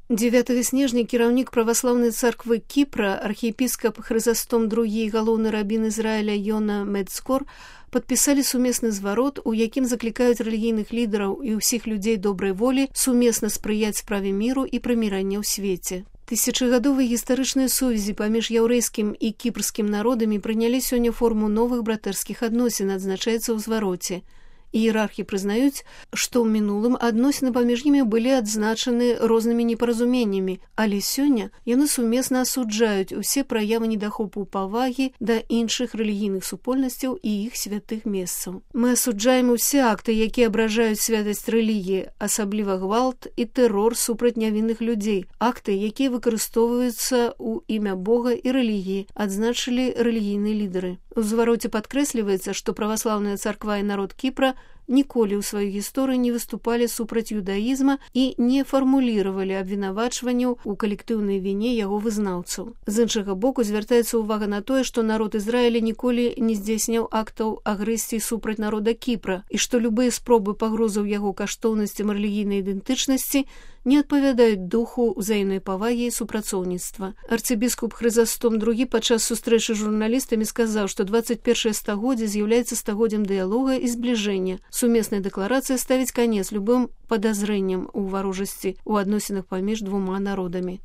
9 снежня кіраўнік праваслаўнай царквы Кіпра, архіепіскап Хрызастом II, галоўны рабін Ізраіля Йона Мецкор падпісалі сумесны зварот, у якім заклікаюць рэлігійных лідараў і ўсіх людзей добрай волі сумесна спрыяць справе міру і прымірання ў свеце. Тысячагадовыя гістарычныя сувязі паміж яўрэйскім і кіпрскім народамі прынялі сёння форму новых братэрскіх адносін, адзначаецца ў звароце. Іерархі прызнаюць, што ў мінулым адносіны паміж імі былі адзначаны рознымі непаразуменнямі, але сёння яны сумесна асуджаюць усе праявы недахопу павагі да іншых рэлігійных супольнасцяў і іх святых месцаў. Мы асуджаем усе акты, якія абражаюць святасць рэлігіі, асабліва гвалт і тэрор супраць нявінных людзей, акты, якія выкарыстоўваюцца ў імя Бога і рэлігіі, адзначылі рэлігійныя лідары. У звароце падкрэсліваецца, што праваслаўная царква і народ Кіпра ніколі ў сваёй гісторыі не выступалі супраць юдаізма і не фармуліравалі абвінавачванняў у калектыўнай віне яго вызнаўцаў. З іншага боку звяртаецца ўвага на тое, што народ Ізраіля ніколі не здзейсняў актаў агрэсіі супраць народа Кіпра і што любыя спробы пагрозаў яго каштоўнасцям рэлігійнай ідэнтычнасці не адпавядаюць духу ўзаемнай павагі і супрацоўніцтва. Арцыбіскуп Хрызастом II падчас сустрэчы з журналістамі сказаў, што 21 стагоддзе з'яўляецца стагоддзем дыялога і збліжэння. Сумесная дэкларацыя ставіць канец любым падазрэнням у варожасці ў адносінах паміж двума народамі.